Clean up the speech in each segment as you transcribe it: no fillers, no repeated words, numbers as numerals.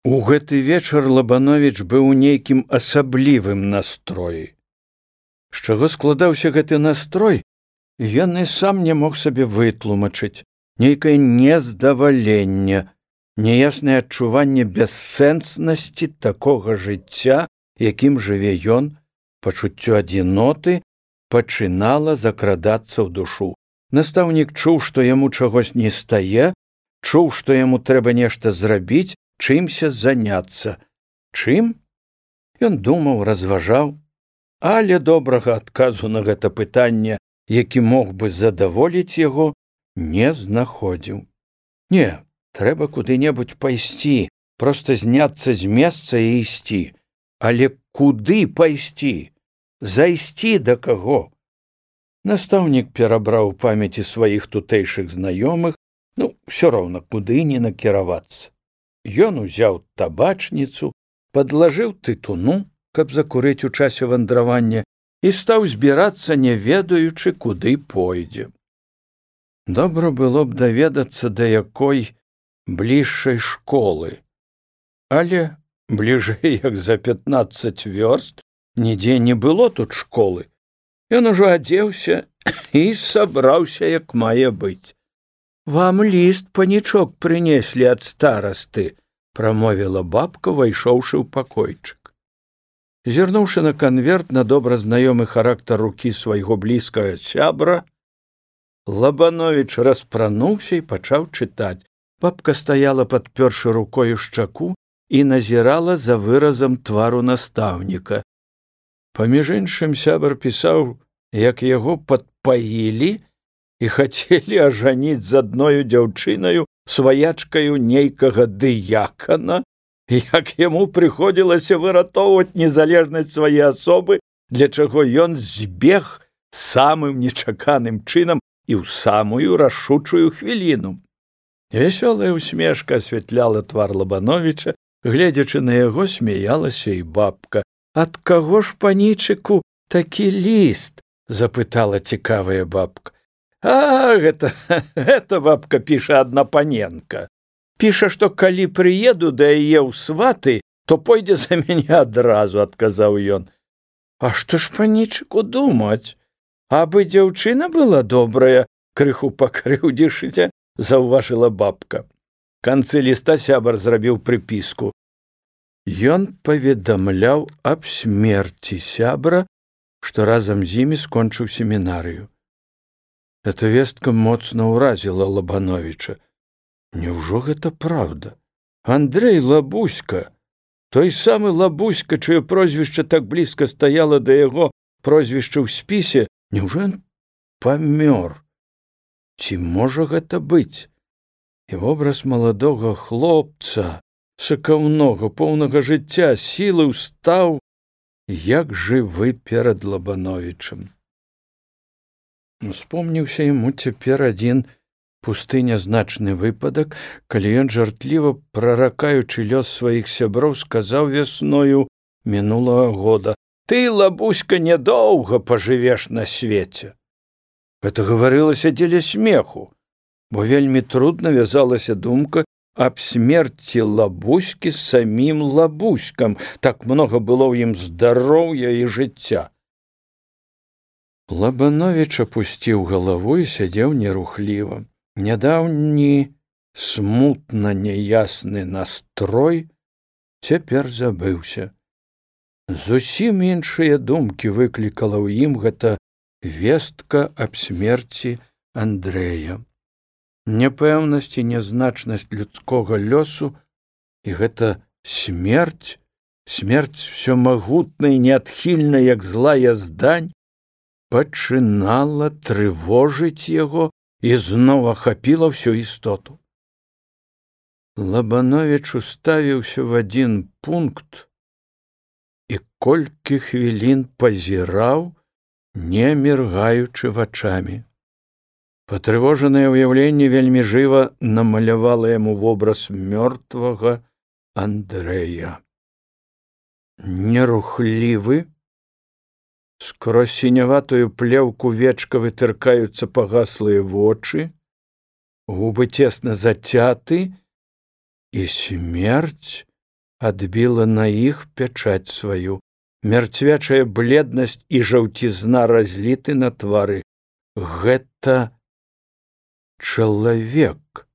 У гэты вечар Лабановіч быў у нейкім асаблівым настроі. З чаго складаўся гэты настрой, ён і сам не мог сабе вытлумачыць. Нейкае нездаваленне, няяснае адчуванне бессэнснасці такога жыцця, якім жыве ён, пачуццё адзіноты пачынала закрадацца ў душу. Настаўнік чуў, што яму чагось не стае, чуў, што яму трэба нешта зрабіць, чымся заняцца. Чым? Ён думаў, разважаў, але добрага адказу на гэта пытанне, які мог бы задаволіць яго, не знаходзіў. Не, трэба куды-небудзь пайсці, проста зняцца з месца і ісці. Але куды пайсці? Зайсці да каго? Настаўнік перабраў у памяці сваіх тутэйшых знаёмых, ўсё роўна куды не накіравацца. Ён узяў табачніцу, падлажыў тытуну, каб закурыць у часе вандравання, і стаў збірацца, не ведаючы, куды пойдзе. Добра было б даведацца, да якой бліжшай школы. Але бліжэй, як за 15 вёрст, нідзе не было тут школы. Ён ужо адзеўся і сабраўся, як мае быць. «Вам ліст, панічок, прынеслі ад старасты», – прамовіла бабка, вайшоўшы ў пакойчык. Зірнуўшы на канверт, на добра знаёмы характар рукі свайго блізкага сябра, Лабановіч распрануўся і пачаў чытаць. Бабка стаяла, падпёршы рукою шчаку, і назірала за выразам твару настаўніка. Паміж іншым, сябар пісаў, як яго падпаілі і хацелі ажаніць з адною дзяўчынаю, сваячкаю нейкага дыякана, як яму прыходзілася выратоўваць незалежнасць свае асобы, для чаго ён збег самым нечаканым чынам і ў самую рашучую хвіліну. Вясёлая усмешка асвятляла твар Лабановіча, гледзячы на яго, смяялася і бабка. «Ад каго ж, панічыку, такі ліст?» – запытала цікавая бабка. «А, гэта бабка піша адна паненка. Піша, што калі прыеду да яе ў сваты, то пойдзе за мяне адразу», – адказаў ён. «А што ж, панічыку, думаць? Абы дзяўчына была добрая», – крыху пакрыўдзішыся, заўважыла бабка. Канцы ліста сябар зрабіў прыпіску. Ён паведамляў аб смерці сябра, што разам з імі скончыў семінарыю. Эта вестка моцна ўразіла Лабановіча. Няўжо гэта праўда? Андрэй Лабуська, той самы Лабуська, чыё прозвішча так блізка стаяла да яго прозвішча ў спісе, няўжо ён памёр? Ці можа гэта быць? І вобраз маладога хлопца, сакаўнога, поўнага жыцця, сілы ўстаў, як жывы перад Лабановічам. Успомніўся яму цяпер адзін пусты нязначны выпадак, калі ён жартліва, праракаючы лёс сваіх сяброў, сказаў вясною мінулага года: «Ты, Лабуська, нядоўга пажывеш на свеце». Гэта гаварылася дзеля смеху, бо вельмі трудна вязалася думка аб смерці Лабуські з самім Лабуськам. Так многа было ў ім здароўя і жыцця. Лабановіч апусціў галаву і сядзеў нерухліва. Нядаўні смутна няясны настрой цяпер забыўся. Зусім іншыя думкі выклікала ў ім гэта вестка аб смерці Андрэя. Няпэўнасць і нязначнасць людскога лёсу, і гэта смерць всёмагутная і неадхільная, як злая здань, пачынала трывожыць яго і зноў ахапіла ўсю істоту. Лабановіч уставіўся в адзін пункт і колькі хвілін пазіраў, не міргаючы вачамі. Патрывожанае ўяўленне вельмі жыва намалявала яму вобраз мёртвага Андрэя. Нерухлівы, скрозь сіняватую плеўку вечка вытыркаюцца пагаслыя вочы, губы цесна зацяты, і смерць адбіла на іх пячаць сваю. Мярцвячая бледнасць і жаўцізна разліты на твары. Гэта чалавек.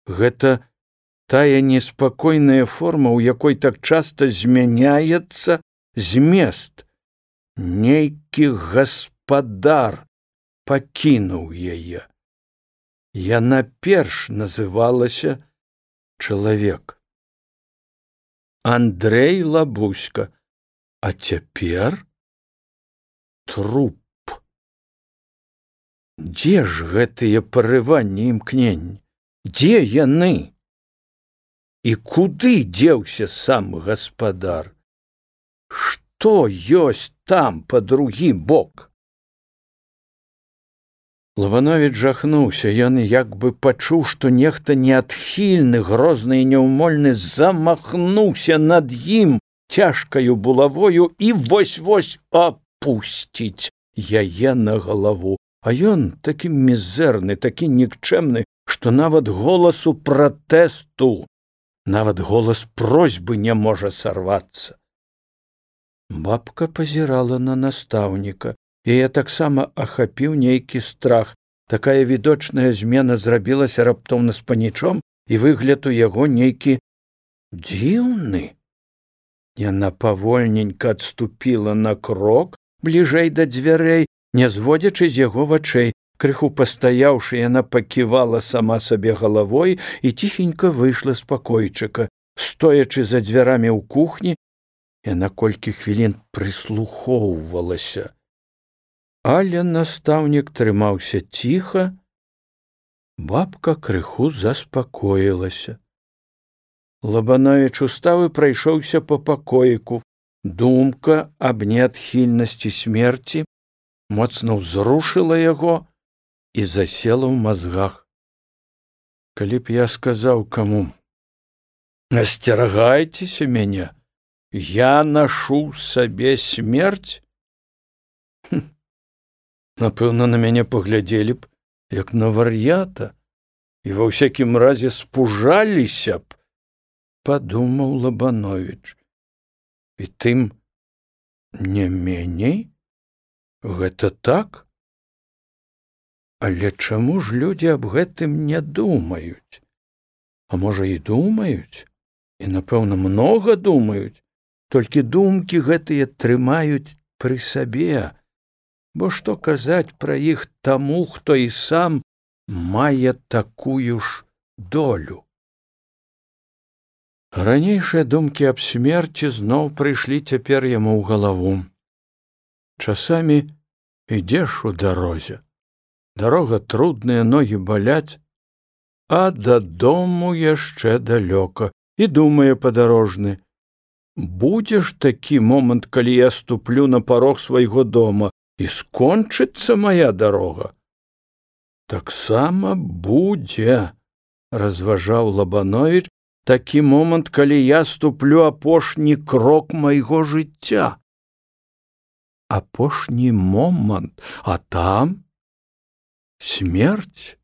Гэта тая неспакойная форма, у якой так часта змяняецца змест. Нейкі гаспадар пакінуў яе. Яна перш называлася чалавек. Андрэй Лабуська, а цяпер труп. Дзе ж гэтыя парыванні і імкненні? Дзе яны? І куды дзеўся сам гаспадар? Што ёсць там па другі бок? Лабановіч жахнуўся. Ён як бы пачуў, што нехта неадхільны, грозны і няўмольны замахнуўся над ім цяжкаю булавою і вось-вось апусціць яе на галаву. А ён такі мізэрны, такі нікчэмны, што нават голасу пратэсту, нават голас просьбы не можа сарвацца. Бабка пазірала на настаўніка. Яе таксама ахапіў нейкі страх. Такая відочная змена зрабілася раптоўна з панічом, і выгляд у яго нейкі дзіўны. Яна павольненька адступіла на крок бліжэй да дзвярэй, не зводзячы з яго вачэй. Крыху пастаяўшы, яна паківала сама сабе галавой і ціхенька выйшла з пакойчыка. Стоячы за дзвярамі ў кухні, яна колькі хвілін прыслухоўвалася. Але настаўнік трымаўся ціха, бабка крыху заспакоілася. Лабановіч устаў і прайшоўся па пакоіку. Думка аб неадхільнасці смерці моцна ўзрушыла яго і засела ў мазгах. Калі б я сказаў каму: «Асцерагайцеся мяне, я нашу сабе смерць», напэўна, на мяне паглядзелі б, як на вар'ята, і ва ўсякім разе спужаліся б, падумаў Лабановіч. І тым не меней? Гэта так? Але чаму ж людзі аб гэтым не думаюць? А можа, і думаюць? І, напэўна, многа думаюць, толькі думкі гэтыя трымаюць пры сабе. Бо што казаць пра іх таму, хто і сам мае такую ж долю? Ранейшыя думкі аб смерці зноў прыйшлі цяпер яму ў галаву. Часамі ідзеш у дарозе. Дарога трудная, ногі баляць, а дадому яшчэ далёка. І думае падарожны: будзе ж такі момант, калі я ступлю на парог свайго дома, і скончыцца мая дарога. Таксама будзе, разважаў Лабановіч, такі момант, калі я ступлю апошні крок майго жыцця. Апошні момант, а там смерць,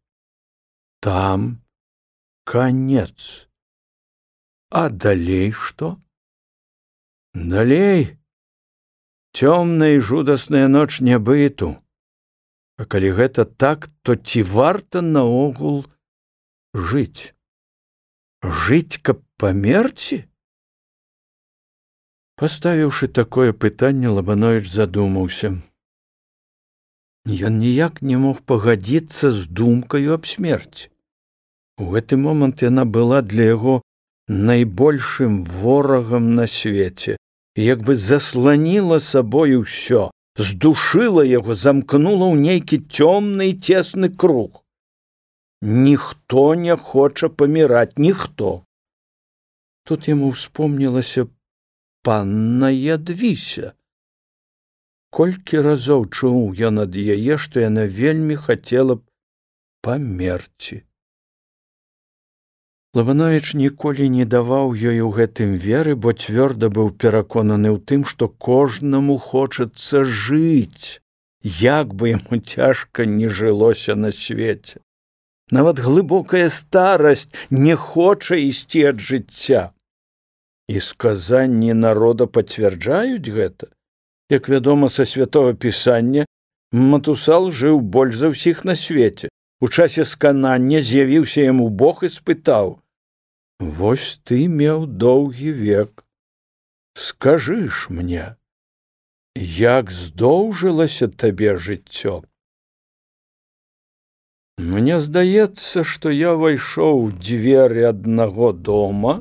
там канец. А далей што? Далей цёмная і жудасная ноч нябыту. А калі гэта так, то ці варта наогул жыць? Жыць, каб памерці? Паставіўшы такое пытанне, Лабановіч задумаўся. Ён ніяк не мог пагадзіцца з думкаю аб смерці. У гэты момант яна была для яго найбольшым ворагам на свеце. І як бы засланіла сабою ўсё, здушыла яго, замкнула ў нейкі цёмны і цесны круг. Ніхто не хоча паміраць, ніхто. Тут яму ўспомнілася панна Ядвіся. Колькі разоў чуў ён ад яе, што яна вельмі хацела б памерці. Лабановіч ніколі не даваў ёй у гэтым веры, бо цвёрда быў пераконаны ў тым, што кожнаму хочацца жыць, як бы яму цяжка не жылося на свеце. Нават глыбокая старасць не хоча ісці ад жыцця. І сказанні народа пацвярджаюць гэта. Як вядома са святого пісання, Матусал жыў больш за ўсіх на свеце. У часе сканання з'явіўся яму Бог і спытаў: «Вось ты меў доўгі век. Скажы ж мне, як здоўжылася табе жыццё?» Мне здаецца, што я ўвайшоў у дзверы аднаго дома,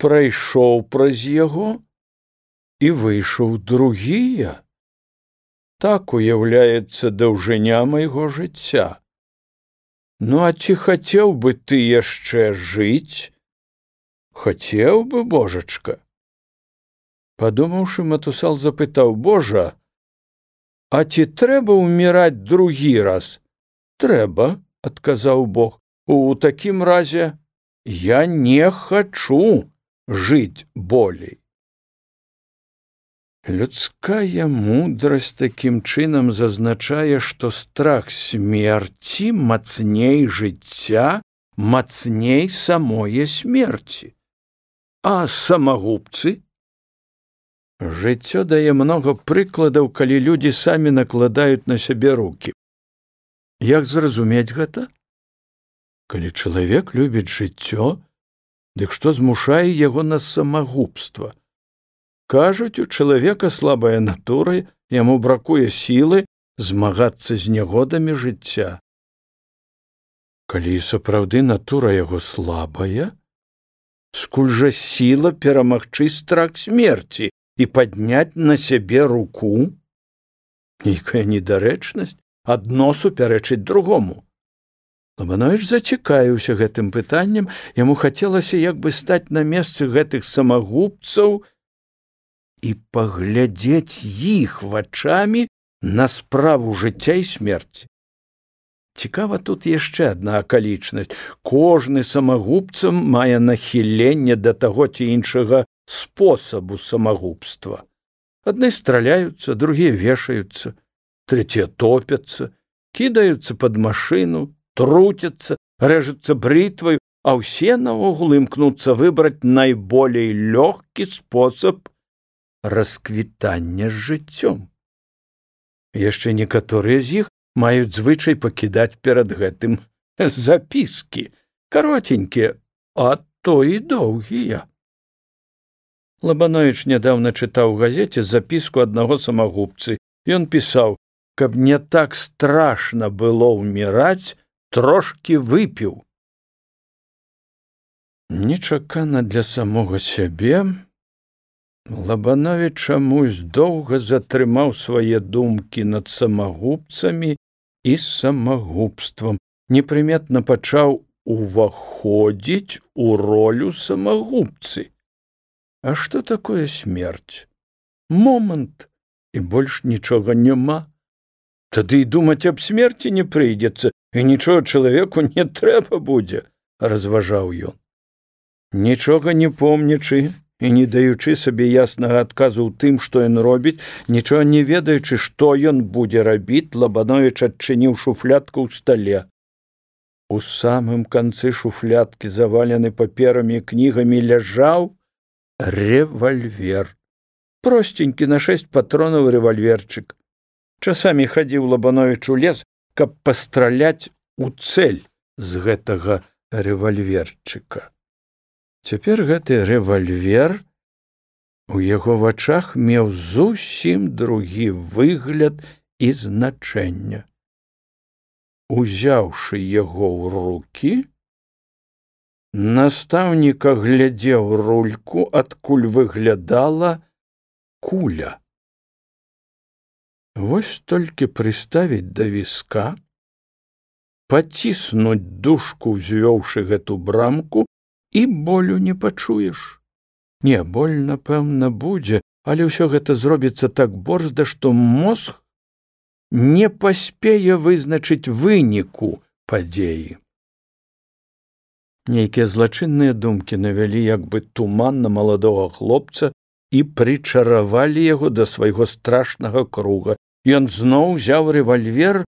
прайшоў праз яго і выйшаў другія. Так уяўляецца даўжыня майго жыцця. Ну, а ці хацеў бы ты яшчэ жыць? Хацеў бы, божачка. Падумаўшы, Матусал запытаў: «Божа, а ці трэба ўміраць другі раз?» «Трэба», – адказаў Бог. «У такім разе я не хачу жыць болей». Людская мудрасць такім чынам зазначае, што страх смерці мацней жыцця, мацней самое смерці. А самагубцы? Жыццё дае многа прыкладаў, калі людзі самі накладаюць на сябе рукі. Як зразумець гэта? Калі чалавек любіць жыццё, дык што змушае яго на самагубства? Кажуць, у чалавека слабая натура, яму бракуе сілы змагацца з нягодамі жыцця. Калі сапраўды натура яго слабая, скуль жа сіла перамагчы страх смерці і падняць на сябе руку? Нейкая недарэчнасць, адно супярэчыць другому. Лабановіч зацікавіўся гэтым пытаннем, яму хацелася як бы стаць на месцы гэтых самагубцаў і паглядзець іх вачамі на справу жыцця і смерці. Цікава тут яшчэ адна акалічнасць. Кожны самагубцам мае нахіленне да таго ці іншага спосабу самагубства. Адны страляюцца, другія вешаюцца, трэція топяцца, кідаюцца пад машыну, труцяцца, рэжуцца брытваю, а ўсе наогул імкнуцца выбраць найболей лёгкі спосаб расквітання з жыццём. Яшчэ некаторыя з іх маюць звычай пакідаць перад гэтым запіскі, каротенькія, а то і доўгія. Лабановіч нядаўна чытаў у газеце запіску аднаго самагубцы. Ён пісаў: «Каб не так страшна было ўміраць, трошкі выпіў». Нечакана для самога сябе, Лабановіч чамусь доўга затрымаў свае думкі над самагубцамі і самагубствам, непрыметна пачаў уваходзіць у ролю самагубцы. А што такое смерць? Момант, і больш нічога няма. Тады і думаць аб смерці не прыйдзецца, і нічога чалавеку не трэба будзе, разважаў ён. Нічога не помнячы і не даючы сабе яснага адказу ў тым, што ён робіць, нічога не ведаючы, што ён будзе рабіць, Лабановіч адчыніў шуфлядку ў стале. У самым канцы шуфлядкі, завалены паперамі і кнігамі, ляжаў рэвальвер. Простенькі на 6 патронаў рэвальверчык. Часамі хадзіў Лабановіч у лес, каб пастраляць у цэль з гэтага рэвальверчыка. Цяпер гэты рэвальвер у яго вачах меў зусім другі выгляд і значэнне. Узяўшы яго ў рукі, настаўнік аглядзеў рульку, адкуль выглядала куля. Вось толькі прыставіць да віска, паціснуць дужку, узвёўшы гэту брамку, і болю не пачуеш. Не, боль, напэўна, будзе, але ўсё гэта зробіцца так борзда, што мозг не паспее вызначыць выніку падзеі. Нейкія злачынныя думкі навялі як бы туман на маладога хлопца і прычаравалі яго да свайго страшнага круга. Ён зноў узяў рэвальвер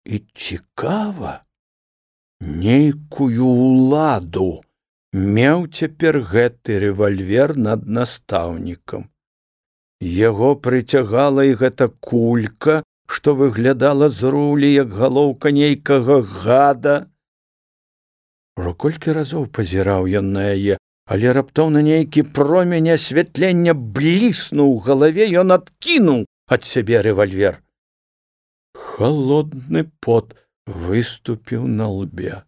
і, цікава, нейкую ўладу меў цяпер гэты рэвальвер над настаўнікам. Яго прыцягала і гэта кулька, што выглядала з рулі, як галоўка нейкага гада. Ужо колькі разоў пазіраў ён на яе, але раптоўна нейкі промень асвятлення бліснуў у галаве, ён адкінуў ад сябе рэвальвер. Халодны пот выступіў на лбе.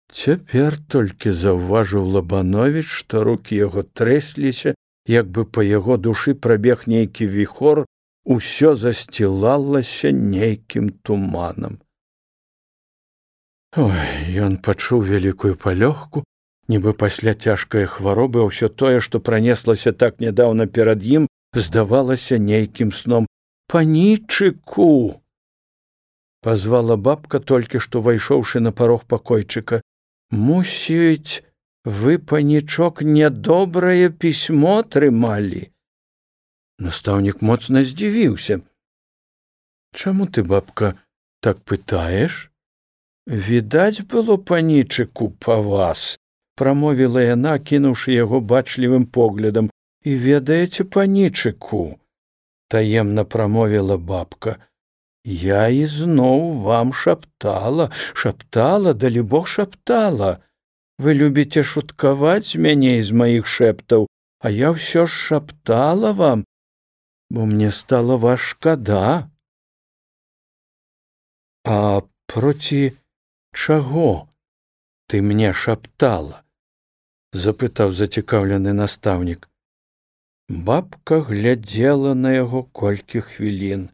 Цяпер толькі заўважыў Лабановіч, што рукі яго трэсліся, як бы па яго душы прабег нейкі віхор, усё засцілалася нейкім туманам. Ён пачуў вялікую палёгку, нібы пасля цяжкай хваробы ўсё тое, што пранеслася так нядаўна перад ім, здавалася нейкім сном. «Панічыку!» пазвала бабка, толькі што вайшоўшы на парог пакойчыка. «Мусіць, вы, панічок, нядобрае пісьмо атрымалі?» Настаўнік моцна здзівіўся. «Чаму ты, бабка, так пытаеш?» «Відаць было, панічыку, па вас», прамовіла яна, кінуўшы яго бачлівым поглядам. «І ведаеце, панічыку», таемна прамовіла бабка, «я ізноў вам шаптала, далібог шаптала. Вы любіце шуткаваць з мяне і з маіх шэптаў, а я ўсё ж шаптала вам, бо мне стала вас шкада». «А проці чаго ты мне шаптала?» запытаў зацікаўлены настаўнік. Бабка глядзела на яго колькі хвілін.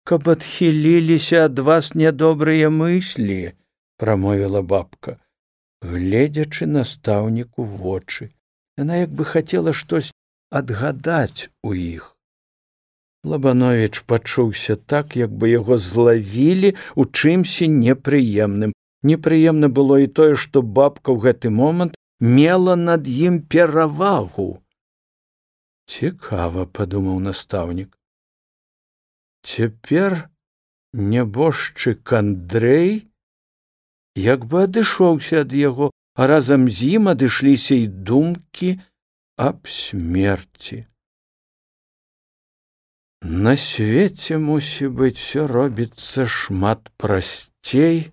«Каб адхіліліся ад вас нядобрыя мыслі», прамовіла бабка, гледзячы настаўніку ў вочы. Яна як бы хацела штось адгадаць у іх. Лабановіч пачуўся так, як бы яго злавілі ў чымсьці непрыемным. Непрыемна было і тое, што бабка ў гэты момант мела над ім перавагу. «Цікава», падумаў настаўнік. Цяпер нябожчык Андрэй як бы адышоўся ад яго, а разам з ім адышліся і думкі аб смерці. На свеце, мусіць быць, усё робіцца шмат прасцей,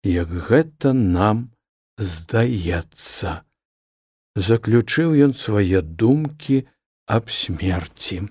як гэта нам здаецца. Заключыў ён свае думкі аб смерці.